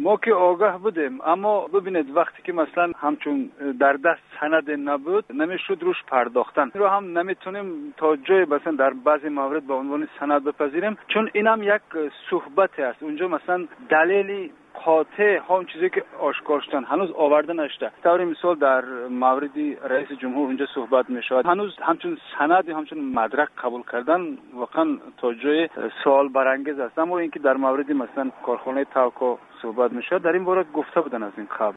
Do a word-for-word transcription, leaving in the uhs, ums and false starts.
Мо ки огаҳ будем, аммо бибинед, вақте ки масалан ҳамчун дар даст санаде набуд, намешуд рӯш пардохтан. Инро ҳам наметавонем то ҷое масалан дар баъзе маврид ба унвони санад бипазирем, чун инам як суҳбате аст. Унҷо масалан далели қотеъ, ҳам чизе ки ошкор шудан ҳанӯз оварда нашуда. Таври мисол, дар мавриди раиси ҷумҳур унҷо суҳбат мешавад. Ҳанӯз ҳамчун санад ё ҳамчун мадрак қабул кардан воқеан то ҷое суолбарангез аст. Аммо инки дар мавриди масалан корхонаи Талко суҳбат мешавад, дар ин бора гуфта буданд аз ин қабл.